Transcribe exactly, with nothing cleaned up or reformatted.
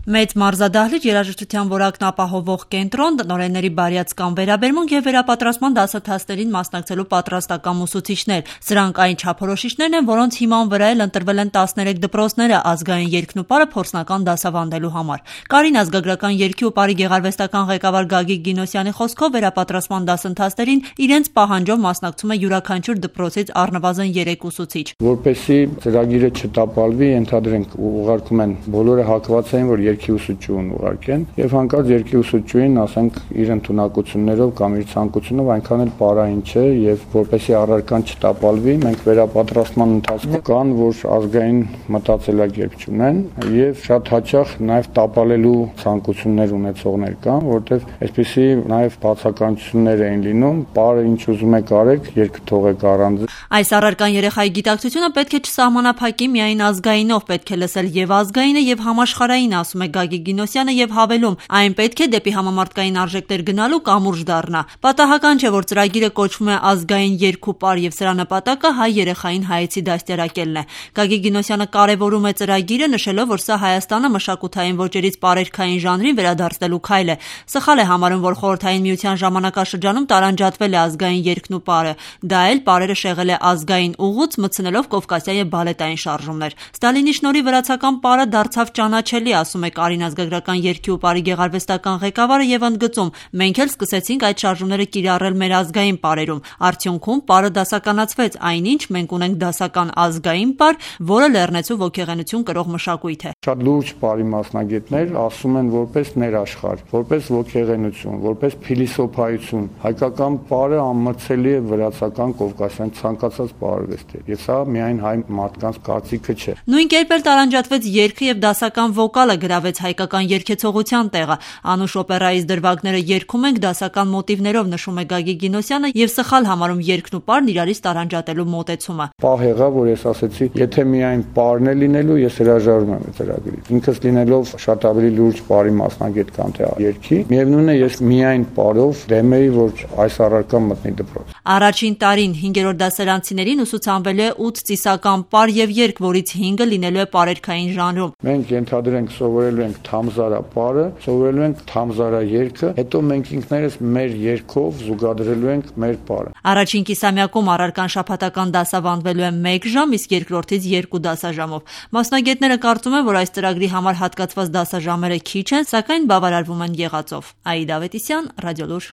Մեծ մարզադահլիճ, երաժշտության որակն ապահովող կենտրոն, տնօրենների բարյացակամ վերաբերմունք եւ վերապատրաստման դասընթացներին մասնակցելու պատրաստական ուսուցիչներ։ Սրանք այն չափորոշիչներն են, որոնց հիման վրա էլ ընտրվել են տասներեք դպրոցները ազգային երգն ու պարը փորձնական դասավանդելու համար։ Կարին ազգագրական երգի ու պարի գեղարվեստական ղեկավար Գագիկ Գինոսյանի խոսքով վերապատրաստման դասընթացներին իրենց պահանջով մասնակցում է յուրաքանչյուր դպրոցից առնվազն երեք ուսուցիչ։ Որպեսզի ծրագիրը չտապալվի, ենթադրենք ուղարկում են բոլորը հակված են, որ երգի ուսուցչուհուն ուղարկեն եւ հանկարծ երգի ուսուցչուհին, ասենք, իր ընդունակություններով կամ իր ցանկությունով այնքան էլ պարային չէ եւ որպեսզի առարկան չտապալվի, մենք վերապատրաստման ընթացքում կան, որ ազգային մտածելակերպ չունեն եւ շատ հաճախ նաեւ տապալելու ցանկություններ ունեցողներ կան, որտեւ այսպեսի նաեւ բացականություններ են լինում, պարը ինչ ուզում եք արեք, երգը թողեք առանց։ Այս առարկան երեխայի գիտակցությունը պետք է չսահմանափակի միայն ազգայինով, պետք է լսել եւ ազգայինը եւ համաշխարհային, ասում է Գագիկ Գինոսյանը եւ հավելում, այն պետք է դեպի համամարտկային արժեքներ գնալու կամուրջ դառնա։ Պատահական չէ, որ ծրագիրը կոչվում է ազգային երգ ու պար եւ սրա նպատակը հայ երեխային հայեցի դաստիարակելն է։ Գագիկ Գինոսյանը կարեւորում է ծրագիրը, նշելով, որ սա Հայաստանը մշակութային ոճերից պարերգային ժանրին վերադարձնելու քայլ է։ Սխալ է համարում, որ Խորհրդային Միության ժամանակաշրջանում տարանջատվել է ազգային երգն ու պարը։ Դա էլ պարերը շեղել է ազգային ուղուց, մտցնելով կովկասյան եւ բալետային շարժումներ։ Ստալինի շնորհիվ վրացական պարը դարձավ ճանաչելի, ասում է Կարին ազգագրական երգի ու պարի գեղարվեստական ղեկավարը եւ ընդգծում. մենք էլ սկսեցինք այդ շարժումները կիրառել մեր ազգային պարերում։ Արդյունքում պարը դասականացվեց, այնինչ մենք ունենք դասական ազգային պար, որը լեռնեցու ոգեղենություն կրող մշակույթ է։ Շատ լուրջ պարի մասնագետներ ասում են որպես ներաշխարհ, որպես ոգեղենություն, որպես փիլիսոփայություն։ Հայկական պարը անմրցելի է վրացական, կովկասյան ցանկացած պարարվեստի։ Եվ սա միայն հայ մարդկանց կարծիքը չէ։ Նույն կերպ էլ տարանջատվեց երգը եւ դասական վոկալը, գրավեց հայկական երգեցողության տեղը։ Անուշ օպերայից դրվագները երգում ենք դասական մոտիվներով, նշում է Գագիկ Գինոսյանը եւ սխալ համարում երգն ու պարն իրարից տարանջատելու մոտեցումը։ Պահ եղավ, որ ես ասեցի, եթե միայն պարն է լինելու, ես հրաժարվում եմ այդ ծրագրից։ Ինքս լինելով շատ ավելի լուրջ պարի մասնագետ կամ թե երգի, միևնույնն է, ես միայն պարով դեմ էի, որ այս առարկան մտնի դպրոց։ Առաջին տարին հինգերորդ դասարանցիներին ուսուցանվելու է ութ ծիսական պար եւ երգ, որից հինգը լինելու է պարերգային ժանրում։ Մենք ենթադրենք սովորելու ենք Թամզարա պարը, սովորելու ենք Թամզարա երգը, հետո մենք ինքներս մեր երգով զուգադրելու ենք մեր պարը։ Առաջին կիսամյակում առարկան շաբաթական դասավանդվելու է մեկ ժամ, իսկ երկրորդից երկու դասաժամով։ Մասնագետները կարծում են, որ այս ծրագրի համար հատկացված դասաժամերը քիչ են, սակայն բավարարվում են եղածով։ Աիդա Ավետիսյան, Ռադիոլուր։